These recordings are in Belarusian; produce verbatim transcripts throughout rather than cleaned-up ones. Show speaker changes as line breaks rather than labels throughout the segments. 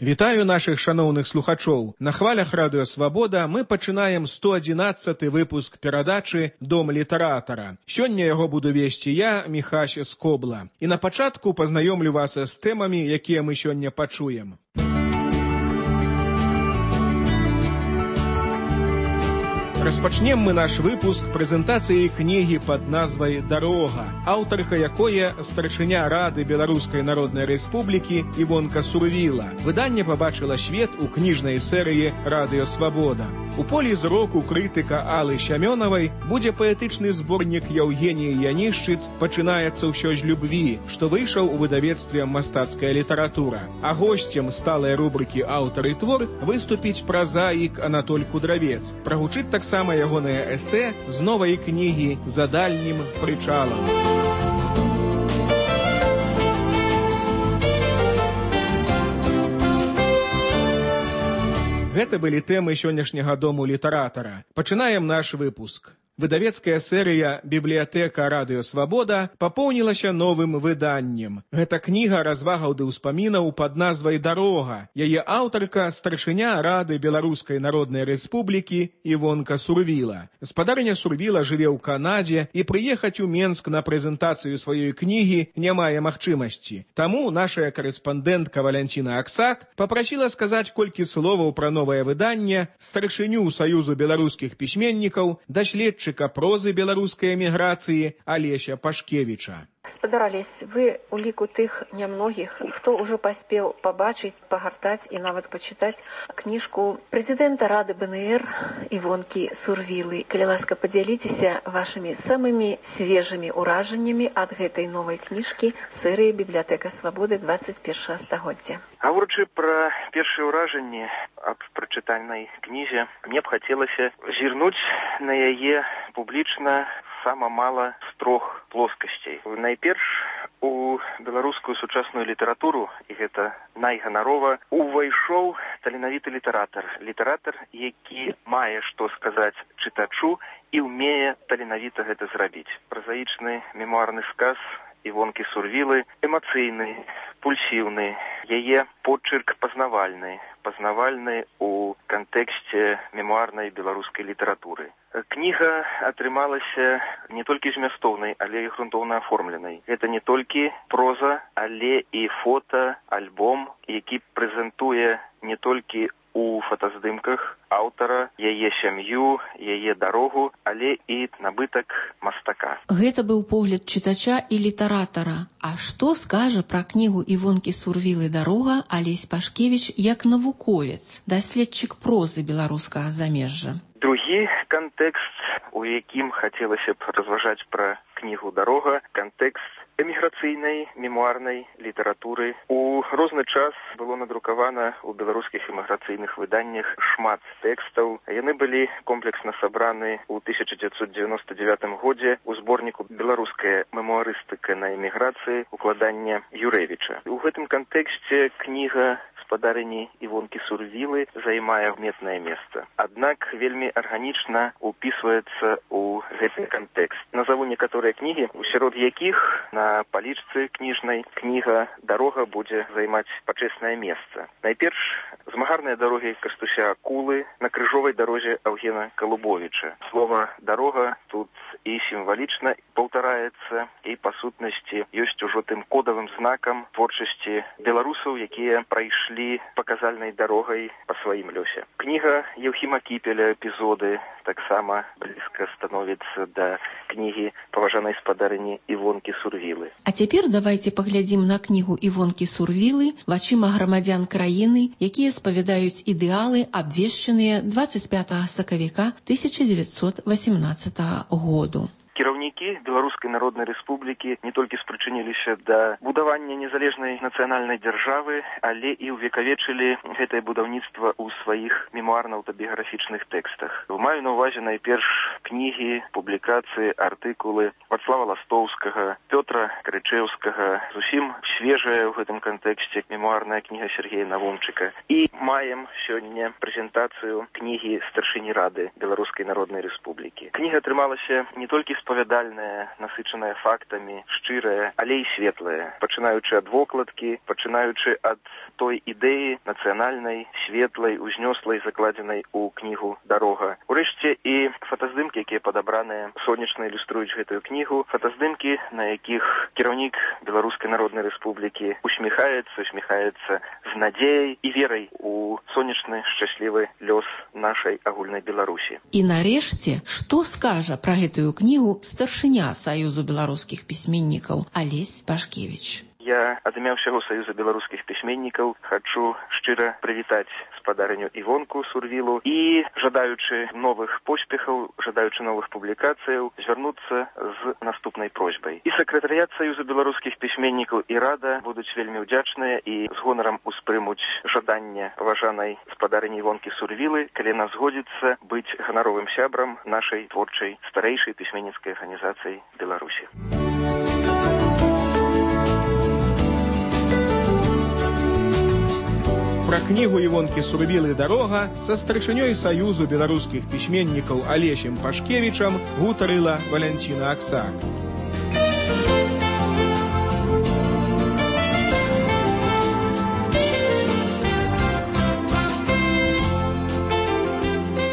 Вітаю нашых шаноўных слухачоў. На хвалях радыё Свабода мы пачынаем сто адзінаццаты выпуск перадачы «Дом літаратара». Сёння яго буду весці я, Міхась Скобла. І на пачатку пазнаёмлю вас з тэмамі, якія мы сёння пачуем. Распачнем мы наш выпуск прэзентацыі кнігі пад назвай «Дарога», аўтарка якое старшыня Рады Беларускай Народнай Рэспублікі Івонка Сурвіла. Выданне пабачыла свет у кніжнай серыі «Радыё Свабода». У полі зроку крытыка Аллы Сямёнавай будзе паэтычны зборнік Яўгеніі Янішчыц «Пачынаецца ўсё з любві», што выйшаў у выдавецтве «Мастацкая літаратура». А госцем сталай рубрыкі «Аўтар і твор» выступіць празаік Анатоль Кудравец. Прагучыць таксама Сама ягонае эсэ з новай кнігі «За дальнім прычалам». Гэта былі тэмы сённяшняга дому літаратара. Пачынаем наш выпуск. Выдавецкая серыя «Бібліятэка Радыё Свабода» папоўнілася новым выданнем. Гэта кніга развагаў ды ўспамінаў пад назвай «Дарога». Яе аўтарка – старшыня Рады Беларускай Народнай Рэспублікі Івонка Сурвіла. Спадарня Сурвіла жыве ў Канадзе і прыехаць у Менск на прэзентацыю сваёй кнігі не мае магчымасці. Таму нашая карэспандэнтка Валянціна Аксак папрасіла сказаць колькі словаў пра новае выданне старшыню Саюзу беларускіх пісьменнікаў, даследчыка прозы беларускай эміграцыі Алеся Пашкевіча.
Спадарались вы у ліку тых нямногіх, хто ўжо паспеў пабачыць, пагартаць і нават пачытаць кніжку прэзідэнта Рады БНР Івонкі Сурвілы. Калі ласка, падзяліцеся вашымі самымі свежымі ўражаннямі ад гэтай новай кніжкі серыі «Бібліятэка Свабоды» двадцать першага стагоддзя.
Гаворачы пра першыя ўражанні аб прачытанай кнізе, мне б хацелася зірнуць на яе публічна сама мала з трох плоскасцей. Найперш, у беларускую сучасную літаратуру, і гэта найганарова, увайшоў таленавіты літаратар. Літаратар, які мае што сказаць чытачу і ўмее таленавіта гэта зрабіць. Празаічны мемуарны сказ Івонкі Сурвілы эмацыйны, пульсіўны, яе почырк пазнавальны, пазнавальны ў кантэксце мемуарнай беларускай літаратуры. Кніга атрымалася не толькі змястоўнай, але і грунтоўна аформленай. Гэта не толькі проза, але і фота, альбом, які прэзентуе не толькі у фотаздымках аўтара, яе сям'ю, яе дарогу, але і набытак мастака.
Гэта быў погляд чытача і літаратара. А што скажа пра кнігу Івонкі Сурвілы «Дарога» Алесь Пашкевіч як навуковец, даследчык прозы беларускага замежжа?
Другі кантэкст, у якім хацелася б разважаць пра кнігу «Дарога», кантэкст эміграцыйнай мемуарнай літаратуры. У розны час было надрукавана ў беларускіх эміграцыйных выданнях шмат тэкстаў. Яны былі комплексна сабраны ў тысяча дзевяцьсот дзевяноста дзевятым годзе ў зборніку «Беларуская мемуарыстыка на эміграцыі» укладання Юрэвіча. У гэтым кантэксце кніга спадарыні Івонкі Сурвілы займае адметнае месца. Аднак вельмі арганічна упісваецца ў гэты кантэкст. Назаву некаторыя кнігі, сярод якіх на палічцы кніжнай кніга «Дарога» будзе займаць пачэснае месца. Найперш, змагарныя дарогі Кастуся Акулы на крыжовай дарозе Аўгена Калубовіча. Слова «дарога» тут і сімвалічна паўтараецца, і па сутнасці ёсць ужо тым кодавым знакам творчасці беларусаў, якія прайшлі паказальнай дарогай па сваім лёсе. Кніга Еўхіма Кіпеля «Эпізоды» таксама блізка становіцца да кнігі паважанай спадарыні Івонкі Сурвілы.
А цяпер давайце паглядзім на кнігу Івонкі Сурвілы вачыма грамадзян краіны, якія спавядаюць ідэалы, абвешчаныя двадцать пятага сакавіка тысяча дзевяцьсот васямнаццатага году.
Кіраўнікі Беларускай Народнай Рэспублікі не толькі спрычыніліся да будавання незалежнай нацыянальнай дзяржавы, але і ўвекавечылі гэтае будаўніцтва ў сваіх мемуарна-аўтабіяграфічных тэкстах. Маю на ўвазе найперш кнігі, публікацыі, артыкулы Вацлава Ластоўскага, Пётра Крычэўскага, зусім свежая ў гэтым кантэксце мемуарная кніга Сергея Навумчыка. І маем сёння прэзентацыю кнігі старшыні Рады Беларускай Народнай Рэспублікі. Кніга атрымалася не толькі з распавядальная, насычаная фактамі, шчырая, але і светлая, пачынаючы ад вокладкі, пачынаючы ад той ідэі нацыянальнай, светлай, узнёслай, закладзенай у кнігу «Дарога». Урэшце і фотаздымкі, якія падабраныя, сонечна ілюструюць гэтую кнігу, фотаздымкі, на якіх кіраўнік Беларускай Народнай Рэспублікі усміхаецца, усміхаецца з надзеяй і верай у сонечны, шчаслівы лёс нашай агульнай Беларусі.
І нарэшце, што скажа пра гэтую кнігу старшыня Саюзу беларускіх пісьменнікаў Алесь Пашкевіч?
Я ад імя ўсяго Саюза беларускіх пісьменнікаў хачу шчыра прывітаць спадарыню Івонку Сурвілу і, жадаючы новых поспехаў, жадаючы новых публікацыяў, звярнуцца з наступнай просьбай. І сакратарыят Саюза беларускіх пісьменнікаў і рада будуць вельмі ўдзячныя і з гонарам успрымуць жаданне паважанай спадарыні Івонкі Сурвілы, калі яна згодзіцца быць ганаровым сябрам нашай творчай старэйшай пісьменніцкай арганізацыі Беларусі.
Пра кнігу Івонкі Сурвілы «Дарога» са старшынёй Саюзу беларускіх пісьменнікаў Алесем Пашкевічам гутарыла Валянціна Аксак.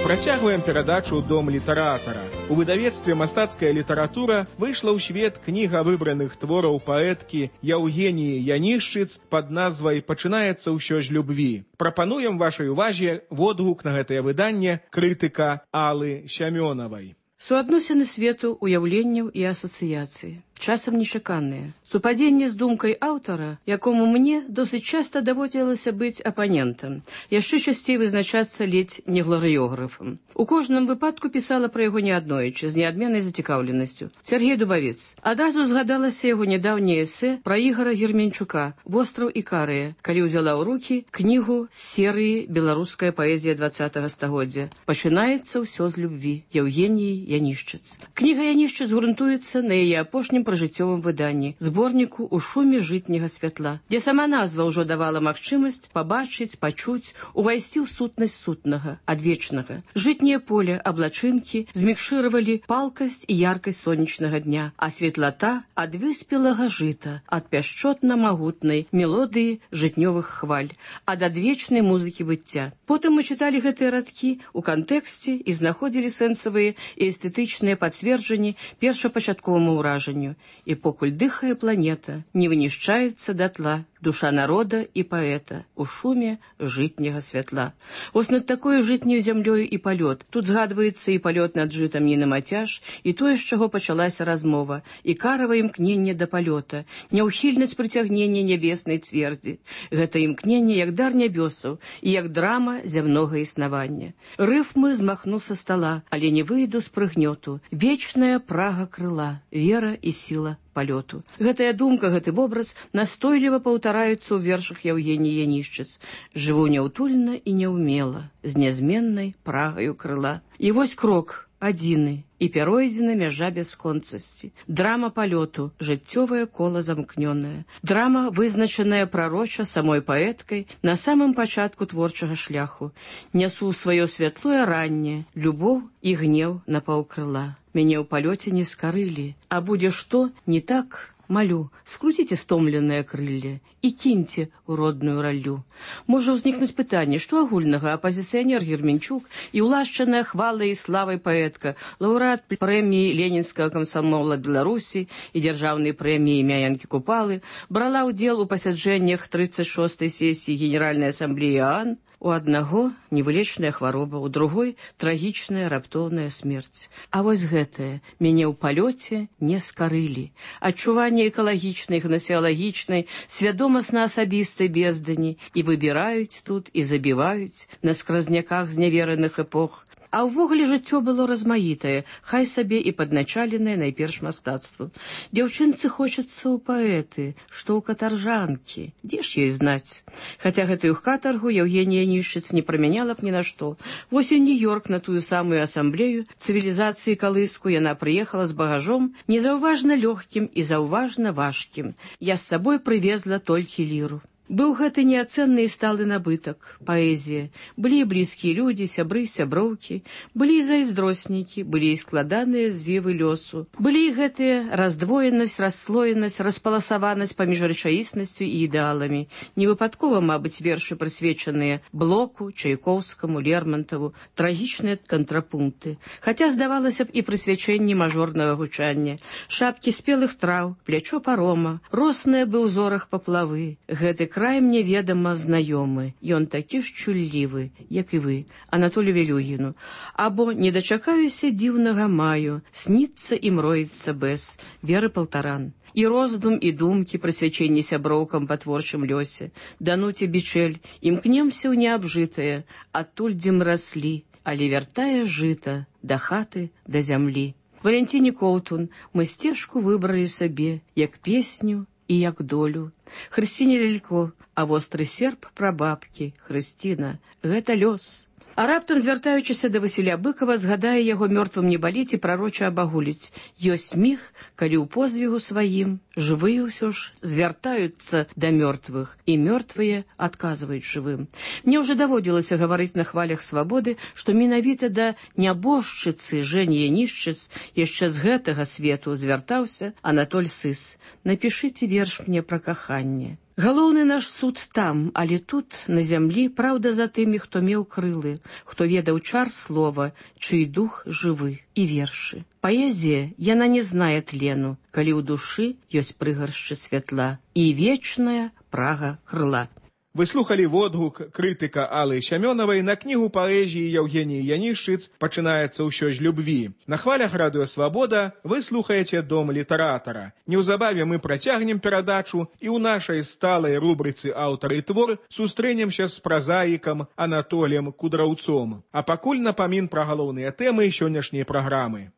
Працягваем перадачу «Дом літаратара». У выдавецтве «Мастацкая літаратура» выйшла ў свет кніга выбраных твораў паэткі Яўгеніі Янішчыц пад назвай «Пачынаецца ўсё з любві». Прапануем вашай увазе водгук на гэтае выданне крытыка Аллы Сямёнавай.
Суадносіны свету, уяўленняў і асацыяцыі. Часам нечаканыя. Супадзенне з думкай аўтара, якому мне досыць часта даводзілася быць апанентам, яшчэ часцей вызначацца ледзь не гларыёграфам. У кожным выпадку пісала пра яго неаднойчы, з неадменнай зацікаўленасцю. Сергей Дубавец. Адразу згадалася яго нядаўняе эсэ пра Ігара Герменчука «Востраў Ікарыя», калі ўзяла ў рукі кнігу з серыі «Беларуская паэзія двадцатага стагоддзя». Пачынаецца ўсё з любві. Яўгеніі Янішчыц. Кніга Янішчыц грунтуецца на яе апошнім пражыццёвым выданні, зборніку «У шуме жытняга святла», дзе сама назва ўжо давала магчымасць пабачыць, пачуць, увайсці ў сутнасць сутнага, адвечнага. Жытняе поле, аблачынкі змікшыравалі палкасць і яркасць сонечнага дня, а светлата ад выспелага жыта, ад пяшчотна-магутнай мелодыі жытнёвых хваль, ад адвечнай музыкі быцця. Потым мы чыталі гэтыя радкі ў кантэксце і знаходзілі сэнсавыя і эстэтычныя пацверджанні першапачатковаму ўражанню. І покуль дыхае планета, не вынішчаецца датла душа народа і паэта у шуме жытняга святла. Вось над такой жытняю зямлёю і палёт. Тут згадваецца і палёт над жытам Нінамацяж, і тое, з чаго пачалася размова, і карава імкненне да палёта, няўхільнасць прыцягнення нябеснай цвердзі. Гэта імкненне як дар нябёсаў і як драма зямнога існавання. Рыфмы змахну са стала, але не выйду з прыгнёту. Вечная прага крыла, вера і сіла палёту. Гэтая думка, гэты вобраз настойліва паўтараюцца ў вершах Яўгеніі Янішчыц. Жыву няўтульна і няўмела, з нязменнай прагаю крыла. І вось крок адзіны, і пяройдзена мяжа бясконцасці. Драма палёту, жыццёвае кола замкнёнае. Драма, вызначаная прароча самой паэткай на самым пачатку творчага шляху. Нясу сваё святлое ранне, любоў і гнеў на паўкрыла. Мяне ў палёце не скарылі, а будзе што не так, малю, скруціце стомленыя крылле і кіньце ў родную раллю. Можа ўзнікнуць пытанне, што агульнага апазіцыянер Герменчук і ўлашчаная хвалай і славай паэтка, лаўрэат прэміі Ленінскага камсамола Беларусі і дзяржаўнай прэміі імя Янкі Купалы, брала ўдзел у пасяджэннях трыццаць шостай сесіі Генеральнай асамблеі ААН. У аднаго невылечная хвароба, у другой трагічная раптоўная смерць. А вось гэтае мяне ў палёце не скарылі. Адчуванне экалагічнай, гнасеалагічнай, свядомасна-асабістай бездані і выбіраюць тут і забіваюць на скразняках знявераных эпох. А ўвогуле жыццё было размаітае, хай сабе і падначаленае найперш мастацтву. Дзяўчынцы хочацца ў паэты, што ў катаржанкі. Дзе ж ёй знаць? Хаця гэтую катаргу Яўгенія Янішчыц не прамяняла б ні на што. Вось у Нью-Йорк на тую самую асамблею цывілізацыі калыску яна прыехала з багажом, незаўважна лёгкім і заўважна важкім. Я з сабой прывезла толькі ліру. Быў гэты неацэнны і сталы набытак, паэзія. Былі блізкія людзі, сябры, сяброўкі, былі і зайздроснікі, былі і складаныя звівы лёсу. Былі і гэтыя раздвоенасць, расслоенасць, распаласаванасць паміж рэчаіснасцю і ідэаламі. Невыпадкова, мабыць, вершы прысвечаныя Блоку, Чайкоўскаму, Лермонтову, трагічныя кантрапункты. Хаця, здавалася б, і прысвячэнні мажорнага гучання. Шапкі спелых траў, плячо парома, росныя бы ў зорах паплавы. Гэты край мне ведама знаёмы. Ён такі ж чуллівы, як і вы, Анатолію Велюгіну. Або не дачакаюся дзіўнага маю, сніцца і мроіцца бэс, Веры Палтаран. І роздум, і думкі, прысвячэнні сяброўкам па творчым лёсе. Дануце Бичель, імкнемся ў неабжытае, адтуль, дзе мы раслі, але вяртае жыта да хаты, да зямлі. Валентине Коўтун мы сцежку выбралі сабе, як песню і як долю. Хрысціне Лялько, а востры серп прабабкі, Хрысціна, гэта лёс. А раптам, звяртаючыся да Васіля Быкова, згадае яго мёртвым не баліць і прароча абагуліць. Ёсць міг, калі ў позвігу сваім жывыя ўсё ж звяртаюцца да мёртвых, і мёртвыя адказваюць жывым. Мне ўжо даводзілася гаварыць на хвалях свабоды, што менавіта да нябожчыцы Жэні Янішчыц яшчэ з гэтага свету звяртаўся Анатоль Сыс. Напішыце верш мне пра каханне. Галоўны наш суд там, але тут, на зямлі, праўда за тымі, хто меў крылы, хто ведаў чар слова, чый дух жывы, і вершы. Паэзія, яна не знае тлену, калі ў душы ёсць прыгаршчы святла і вечная прага крыла.
Вы слухали водгук крытыка Аллы Сямёнавай на кнігу паэзіі Яўгеніі Янішчыц «Пачынаецца ўсё з любві». На хвалях радыё «Свабода» вы слухаеце «Дом літаратара». Неўзабаве мы працягнем перадачу і ў нашай сталай рубрыцы «Аўтар і твор» сустрэнемся з празаікам Анатоліем Кудраўцом. А пакуль напамін пра галоўныя тэмы сённяшняй праграмы.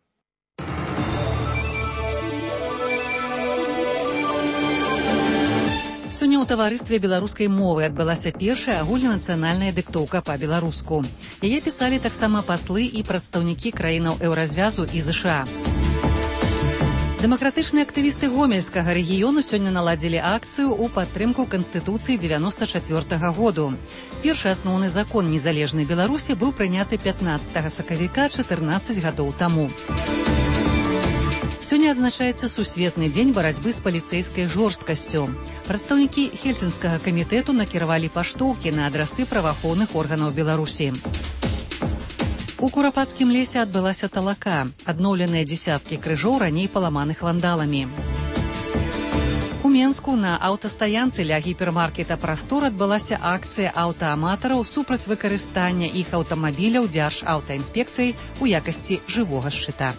Сёння ў таварыстве беларускай мовы адбылася першая агульнанацыянальная дыктоўка па-беларуску. Яе пісалі таксама паслы і прадстаўнікі краінаў еўразвязу і ЗША. Дэмакратычныя актывісты гомельскага рэгіёну сёння наладзілі акцыю ў падтрымку Канстытуцыі дзевяноста чацвёртага году. Першы асноўны закон незалежнай Беларусі быў прыняты пятнаццатага сакавіка чатырнаццаць гадоў таму. Сёння адзначаецца сусветны дзень барацьбы з паліцэйскай жорсткасцю. Прадстаўнікі Хельсінскага камітэту накіравалі паштоўкі на адрасы праваахоўных органаў Беларусі. У Курапацкім лесе адбылася талака, адноўленыя дзесяткі крыжоў раней паламаных вандаламі. У Менску на аўтастаянцы ля гіпермаркета «Прастор» адбылася акцыя аўтааматараў супраць выкарыстання іх аўтамабіляў Дзяржаўтаінспекцыяй у якасці жывога шчыта.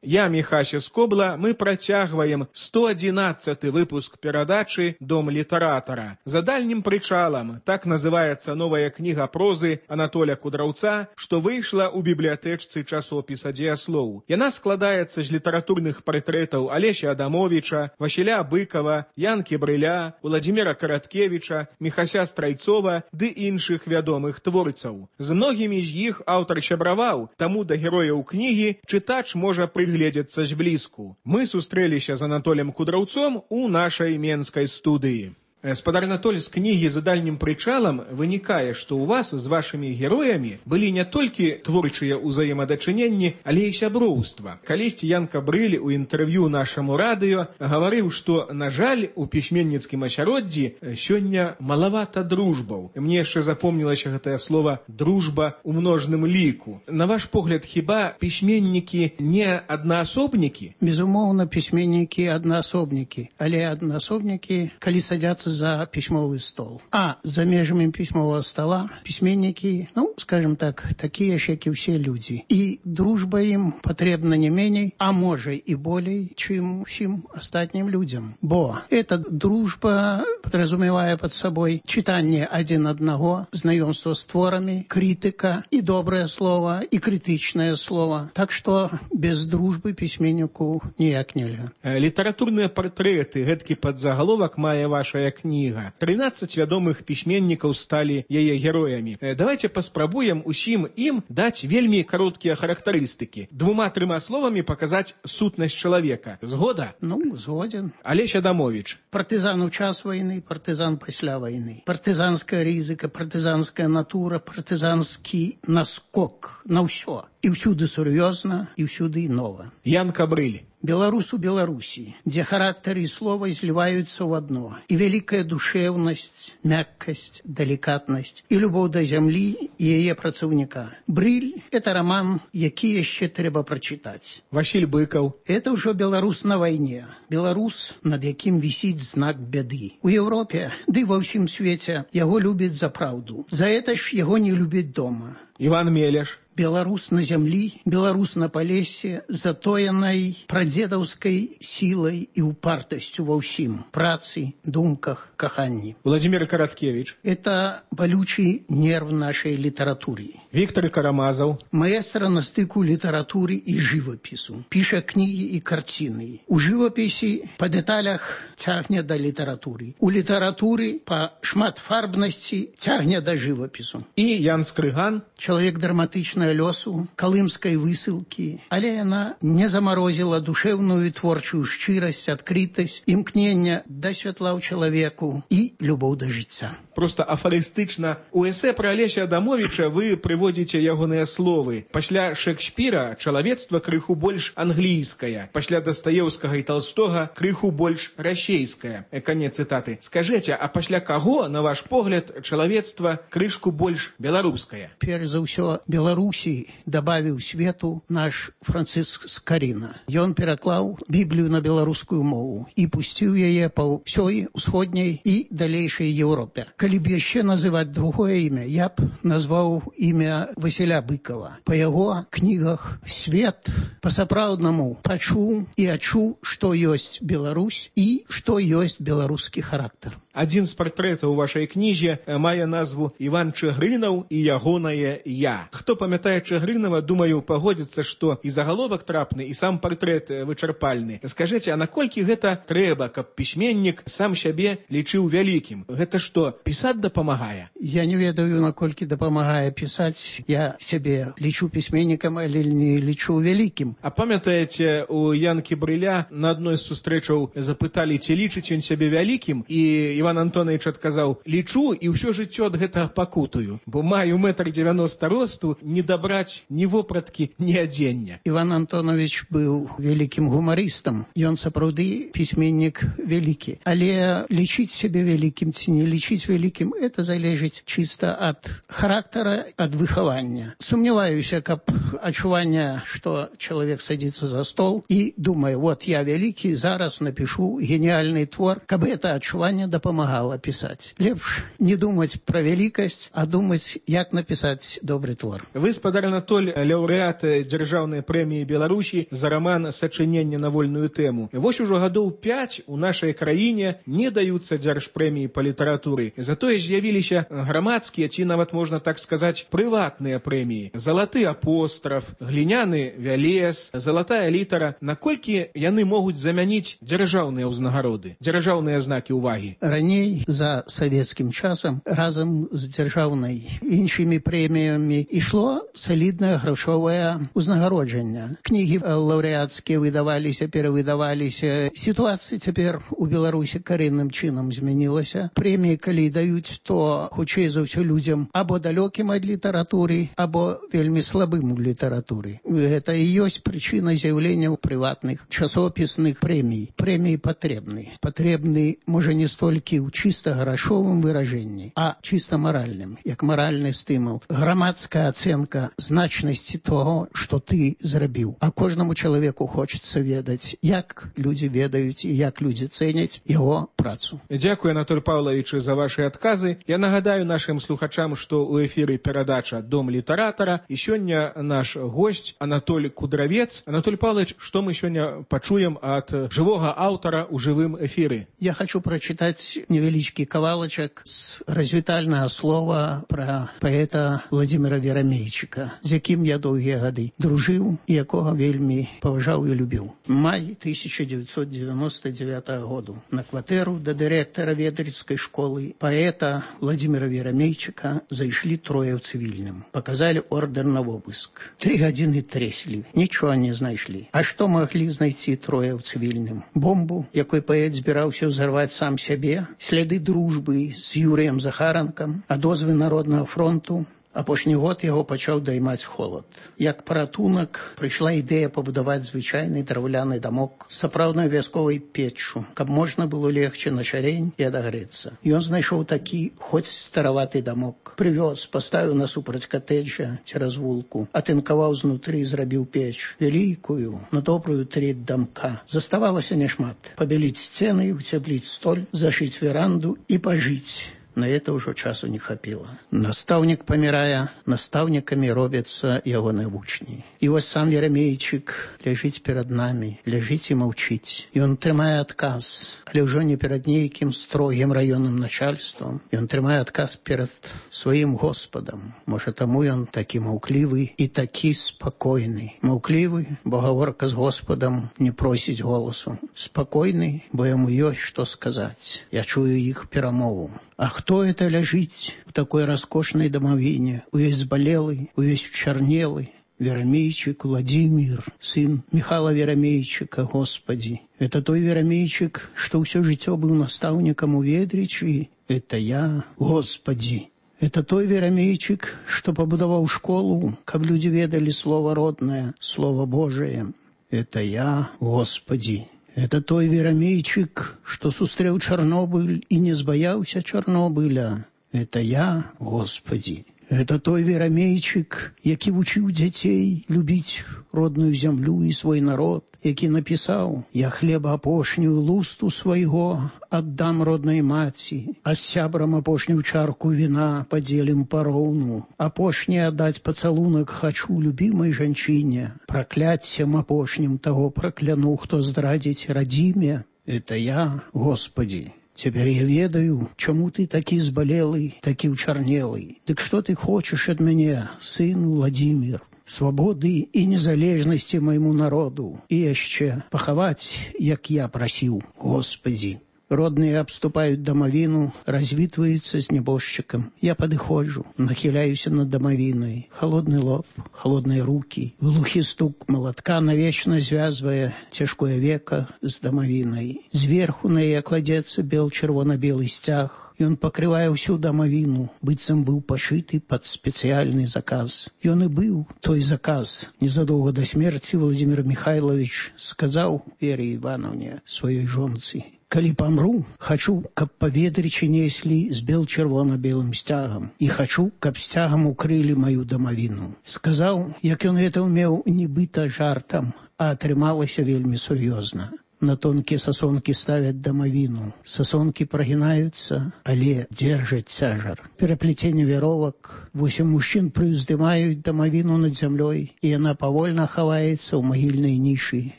Я, Міхася Скобла, мы працягваем сто адзінаццаты выпуск перадачы «Дом літаратара». За дальнім прычалам так называецца новая кніга прозы Анатоля Кудраўца, што выйшла ў бібліятэчцы часопіса «Дзеяслоў». Яна складаецца з літаратурных партрэтаў Алеся Адамовіча, Васіля Быкова, Янкі Брыля, Уладзіміра Караткевіча, Міхася Страйцова ды іншых вядомых творцаў. З многімі з іх аўтар сябраваў, таму да герояў кнігі чытач можа прыглядзецца гледзяцца зблізку. Мы сустрэліся з Анатолем Кудраўцом у нашай менскай студыі. Спадар Анатоль, з кнігі «За дальнім прычалам» вынікае, што ў вас з вашымі героямі былі не толькі творчыя ўзаемадачыненні, але і сяброўства. Калісьці Янка Брыль у інтэрв'ю нашаму радыё гаварыў, што, на жаль, у пісьменніцкім асяроддзі сёння малавата дружбаў. Мне яшчэ запомнілася гэтае слова «дружба» у множным ліку. На ваш погляд, хіба пісьменнікі не аднаасобнікі?
Безумоўна, пісьменнікі аднаасобнікі, але аднаасобнікі, калі садзяцца за письмовый стол. А за межами письмового стола письменники, ну, скажем так, такие же, как и все люди. И дружба им потребна не менее, а может и более, чем всем остальным людям. Бо эта дружба подразумевая под собой читание один одного, знакомство с творами, критика и доброе слово, и критичное слово. Так что без дружбы письменнику никак нельзя.
Литературные портреты, гэткі подзаголовок мае ваша кніга. трынаццаць вядомых пісьменнікаў сталі яе героямі. Давайте паспрабуем усім ім даць вельмі кароткія характарыстыкі. Двума-трыма словамі паказаць сутнасць чалавека. Згода?
Ну, згоден.
Алесь Адамович.
Партызан у час войны, партызан пасля войны. Партызанская рызыка, партызанская натура, партызанскі наскок на ўсё. І ўсюды сур'ёзна, і ўсюды нова.
Ян Кабрыль.
Беларус у Беларусі, дзе характары і слова зліваюцца ў адно. І вялікая душэўнасць, мяккасць, далікатнасць, і любоў да зямлі і яе працаўніка. Брыль – это роман, які яшчэ трэба прачытаць.
Васіль Быкаў.
Это ўжо беларус на вайне. Беларус, над якім вісіць знак бяды. У Еўропе, ды ва ўсім свеце, яго любяць за праўду. За это ж яго не любяць дома.
Іван Мелеш.
Беларус на зямлі, беларус на палесе, затоенай прадзедаўскай сілай і упартасцю ва ўсім, працы, думках, каханні.
Владимир Караткевич.
Это балючий нерв нашай літаратуры.
Віктор Карамазаў.
Маэстра на стыку літаратуры і жывапісу. Піша кнігі і карціны. У жывапісі па дэталях цягне да літаратуры. У літаратуры па шматфарбнасці цягне да жывапісу.
І Ян Скрыган.
Чалавек драматычнага лёсу, калымскай высылкі, але яна не замарозіла душэўную творчую шчырасць, адкрытасць, імкнення да святла ў чалавеку і любоў да жыцця.
Просто афарыстычна. У эсэ пра Алеся Адамовича вы прыводзіце ягоныя словы. Пасля Шекспіра чалавецтва крыху больш англійскае, пасля Дастаеўскага і Толстога крыху больш расейскае. Канец цытаты. Скажэце, а пасля каго, на ваш погляд, чалавецтва крышку больш беларускае?
Перш за ўсё, Беларусі дабавіў свету наш Францыск Скарына. Ён пераклаў Біблію на беларускую мову і пусціў яе па ўсёй усходняй і далейшай Еўропе. Калі б яшчэ называць другое імя, я б назваў імя Васіля Быкова. Па яго кнігах свет па-сапраўднаму пачуў і адчуў, што ёсць Беларусь і што ёсць беларускі характар.
Адзін з партрэтаў у вашай кнізе мае назву «Іван Чыгрынаў і ягонае я». Хто памятае Чыгрынава, думаю, пагодзіцца, што і загаловак трапны, і сам партрэт вычарпальны. Скажыце, а наколькі гэта трэба, каб пісьменнік сам сябе лічыў вялікім? Гэта што, пісаць дапамагае?
Я не ведаю, наколькі дапамагае пісаць. Я сябе лічу пісьменнікам, але не лічу вялікім.
А памятаеце, у Янкі Брыля на адной з сустрэчаў запыталі, ці лічыць ён сябе вялікім, і Іван Антонович адказаў: лічу і ўсё жыццё ад гэтага пакутую, бо маю метр дзевяноста росту, не дабраць ні вопраткі, ні адзення.
Іван Антонович быў вялікім гумарыстам. Ён сапраўды пісьменнік вялікі. Але лічыць сябе вялікім ці не лічыць вялікім, это залежыць чыста ад характара, ад выхавання. Сумняваюся, каб адчуванне, што чалавек садзіцца за стол і думае: вот я вялікі, зараз напишу гениальны твор, каб это адчуванне дапамагала помогала писать. Лепш не думать про великость, а думать, як написать добрый твор.
Вы, спадар Анатоль, лаўрэат дзяржаўнай прэміі Беларусі за роман «Сачыненне на вольную тэму». Вось ужо гадоў пяць у нашай краіне не даюцца дзяржпрэміі па літаратуры. Затое з'явіліся грамадскія, ці нават можна так сказаць, прыватныя прэміі. Залаты апостраф, гліняны вялес, залатая літара. Наколькі яны могуць замяніць дзяржаўныя ўзнагароды, дзяржаўныя знакі ўвагі?
Раней, за савецкім часам, разам з дзяржаўнай іншымі прэміямі ішло саліднае грашовае ўзнагароджанне. Кнігі лаўрэацкія выдаваліся, перавыдаваліся. Сітуацыя цяпер у Беларусі карэнным чынам змянілася. Прэміі, калі даюць, то хутчэй за ўсё людзям або далёкім ад літаратуры, або вельмі слабым у літаратуры. Гэта і ёсць прычына з'яўлення прыватных часопісных прэмій. Прэміі патрэбны. Патрэбны, можа, не столькі ў чыста грашовым выражэнні, а чыста маральным, як маральны стымул. Грамадская ацэнка значнасці того, што ты зрабіў. А кожнаму чалавеку хочацца ведаць, як людзі ведаюць і як людзі цэняць яго працу.
Дзякую, Анатоль Павлович, за ваши адказы. Я нагадаю нашим слухачам, што ў эфіры перадача «Дом літаратара», і сёння наш госць Анатоль Кудравец. Анатоль Павлович, што мы сёння пачуем ад жывога аўтара ў жывым эфіры?
Я хочу прочитать невялічкі кавалачак з развітальнага слова пра паэта Владзіміра Верамейчыка, з якім я доўгія гады дружыў і якога вельмі паважаў і любіў. Май тысяча девятьсот девяносто девятого году. На кватэру да дырэктара ведрыцкай школы паэта Владзіміра Верамейчыка зайшлі трое ў цывільным. Паказалі ордер на обыск. Три гадзіны трэслі. Нічога не знайшлі. А што маглі знайти трое ў цывільным? Бомбу, якой паэт збіраўся ўзарваць сам сябе, сляды дружбы з Юрыем Захаранкам, а дозвы Народнага фронту. Апошні год яго пачаў даймаць холад. Як паратунак прыйшла ідэя пабудаваць звычайны драўляны дамок з сапраўднай вясковай печчу, каб можна было легче на шарень і адагрэцца. Ён знайшоў такі, хоць стараваты дамок. Прывёз, паставіў насупраць катэджа цераз вулку, атынкаваў знутры, зрабіў печ. Вялікую, на добрую треть дамка. Заставалася няшмат. Пабяліць сцены, уцепліць столь, зашыць веранду і пажыць. На это ўжо часу не хапіла. Настаўнік памірае, настаўнікамі робяцца ягоныя вучні. І вось сам Верамейчык ляжыць перад намі, ляжыць і маўчыць. Ён трымае адказ, але ўжо не перад нейкім строгім раённым начальствам. Ён трымае адказ перад сваім Господам. Можа, таму ён такі маўклівы і такі спакойны. Маўклівы, бо гаворка з Господам не просіць голасу. Спакойны, бо яму ёсць што сказаць. Я чую іх перамову. А хто это ляжыць у такой раскошнай дамавіне, увесь збалелы, увесь чарнелы? Верамейчык Владзімір, сын Михала Верамейчыка, Господи. Это той Верамейчык, што ўсё жыццё быў настаўнікам у Ведрычы. Это я, Господи. Это той Верамейчык, што пабудаваў школу, каб людзі ведалі слова роднае, слова Божие. Это я, Господи. Это той Верамейчык, што сустрэў Чарнобыль і не збаяўся Чарнобыля. Это я, Господи. Это той Верамейчык, які вучыў дзяцей любіць родную зямлю і свой народ, які напісаў: «Я хлеба апошнюю лусту свайго аддам роднай маці, а з сябрам апошнюю чарку віна падзелім пароўну. Апошні аддаць пацалунак хачу любімай жанчыне, пракляццем апошнім таго пракляну, хто здрадзіць радзіме. Это я, Господи». Цяпер я ведаю, чаму ты такі збалелы, такі ўчарнелы. Дык што ты хочаш ад мяне, сын Владзімір? Свабоды і незалежнасці майму народу. І яшчэ пахаваць, як я прасіў, Господі. Родныя абступаюць дамавіну, развітваюцца з нябожчыкам. Я падыходжу, нахіляюся над дамавінай. Холодны лоб, холодныя рукі, глухі стук малатка навечна звязвае цяжкое века з дамавінай. Зверху на яе кладзецца бел-чырвона-белы сцяг. Ён пакрывае ўсю дамавіну, быццам быў пашыты пад спецыяльны заказ. Ён і быў той заказ. Незадоўга да смерці Владзімір Михайлович сказаў Вере Івановне, сваёй жонцы: «Калі памру, хачу, каб па Ведрычы неслі з бел-чырвона-белым сцягам. І хачу, каб сцягам укрылі маю дамавіну». Сказаў, як ён гэта ўмеў нібыта жартам, а атрымалася вельмі сур'ёзна. На тонкія сасонкі ставяць дамавіну. Сасонкі прагінаюцца, але дзержаць цяжар. Пераплеценне вяровак. Восем мужчын прыўздымаюць дамавіну над зямлёй, і яна павольна хаваецца ў магільнай нішы,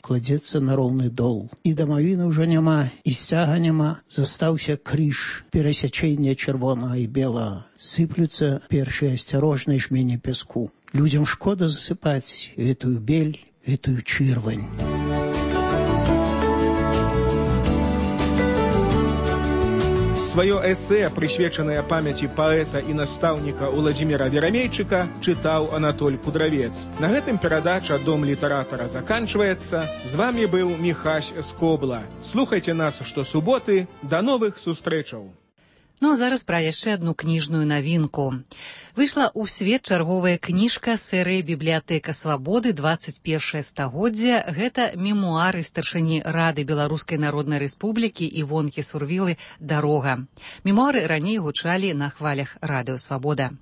кладзецца на роўны дол. І дамавіны ўжо няма, і сцяга няма, застаўся крыж, перасячэння чырвонага і белага. Сыплюцца першыя асцярожныя жмені пяску. Людзям шкода засыпаць гэтую бель, гэтую чырвань.
Сваё эсэ, прысвечанае памяці паэта і настаўніка Владзіміра Верамейчыка, чытаў Анатоль Кудравец. На гэтым перадача «Дом літаратара» заканчваецца. З вамі быў Міхась Скобла. Слухайце нас штосуботы. Да новых сустрэчаў.
Ну а зараз пра яшчэ адну кніжную навінку. Выйшла ў свет чарговая кніжка серыі «Бібліятэка свабоды. дваццаць першае стагоддзя». Гэта мемуары старшыні Рады Беларускай Народнай Рэспублікі Івонкі Сурвілы «Дарога». Мемуары раней гучалі на хвалях радыё «Свабода».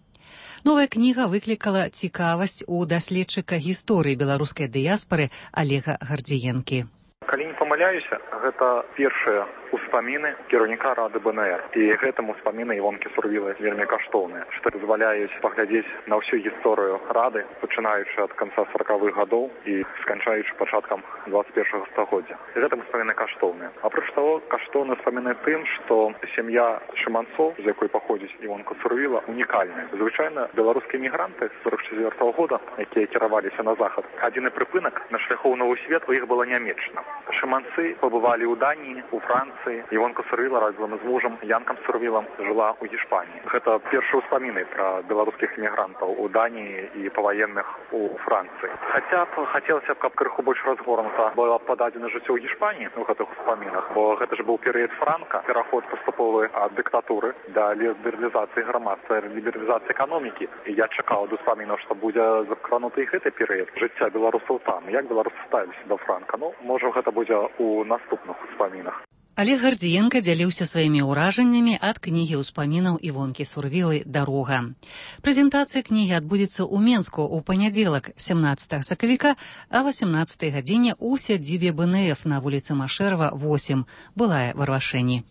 Новая кніга выклікала цікавасць у даследчыка гісторыі беларускай дыяспары Алега Гардзіенкі.
Калі не памыляюся, гэта першая успаміны кіраўніка рады БНР. І гэтым успаміны Івонкі Сурвілы вельмі каштоўныя, што дазваляюць паглядзець на ўсю гісторыю рады, пачынаючы ад канца сорокавых гадоў і сканчаючы пачаткам двадцать першага стагоддзя. І гэтым успаміны каштоўныя. Апроч таго, каштоўны успаміны тым, што сям'я Шыманцоў, з якой паходзіць Івонка Сурвіла, унікальная. Звычайна беларускія мігранты з сорок четвёртого года, якія кіраваліся на захад, адзіны прыпынак на шляху ў новы свет у іх была нямеччына. Шыманцы пабывалі ў Даніі, у Францыі. Івонка Сурвіла разам з мужам Янкам Сурвілам жыла ў Гішпаніі. Гэта першыя ўспаміны пра беларускіх мігрантаў у Даніі і паваенных у Францыі. Хаця б хацелася б, каб крыху больш разгорнута было пададзена жыццё ў Гішпаніі у гэтых успамінах, бо гэта ж быў перыяд Франка, пераход паступовы ад дыктатуры да лібералізацыі грамадства, лібералізацыі эканомікі. І я чакаў ад успамінаў, што будзе закрануты і гэты перыяд жыцця беларусаў там. Як беларусы ставіліся да Франка? Ну, можа, гэта будзе ў наступных успамінах.
Олег Гардзіенка дзяліўся сваімі ўражаннямі ад кнігі ўспамінаў Івонкі Сурвілы «Дарога». Прэзентацыя кнігі адбудзецца ў Менску ў панядзелак сямнаццатага сакавіка а васемнаццатай гадзіне ў сядзібе БНФ на вуліцы Машэрава, восем, былая Варвашэні.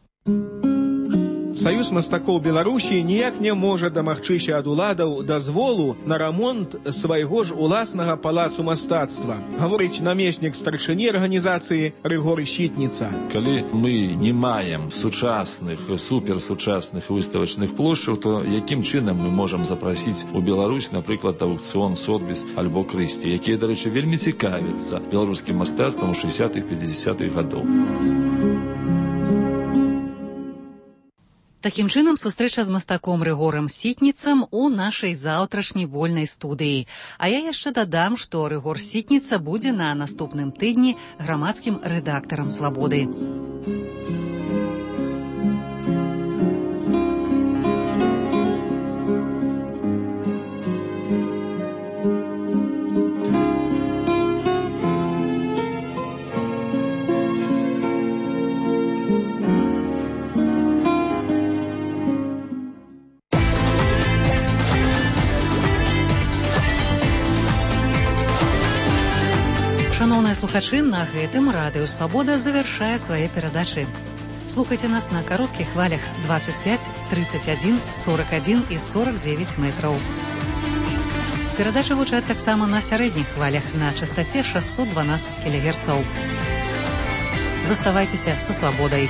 Саюз мастакоў Беларусі ніяк не можа дамагчыся ад уладаў дазволу на рамонт свайго ж уласнага палацу мастацтва, гаворыць намеснік старшыні арганізацыі Рыгор Сітніца.
Калі мы не маем сучасных, суперсучасных выставачных плошчаў, то якім чынам мы можам запрасіць у Беларусь, напрыклад, аўкцыён Сотбіс альбо Крысці, якія, дарэчы, вельмі цікавяцца беларускім мастацтвам у шэсцідзятых-пяцідзясятых гадоў.
Такім чынам, сустрэча з мастаком Рыгорам Сітніцам у нашай заўтрашняй вольнай студыі. А я яшчэ дадам, што Рыгор Сітніца будзе на наступным тыдні грамадскім рэдактарам «Свабоды». Шановныя слухачы, на гэтым радыё «Свабода» завяршае свае перадачы. Слухайце нас на кароткіх хвалях двадцать пять, тридцать один, сорок один і сорок девять метраў. Перадачы гучаць таксама на сярэдніх хвалях на частаце шэсцьсот дванаццаць кілагерцаў. Заставайцеся са «Свабодай».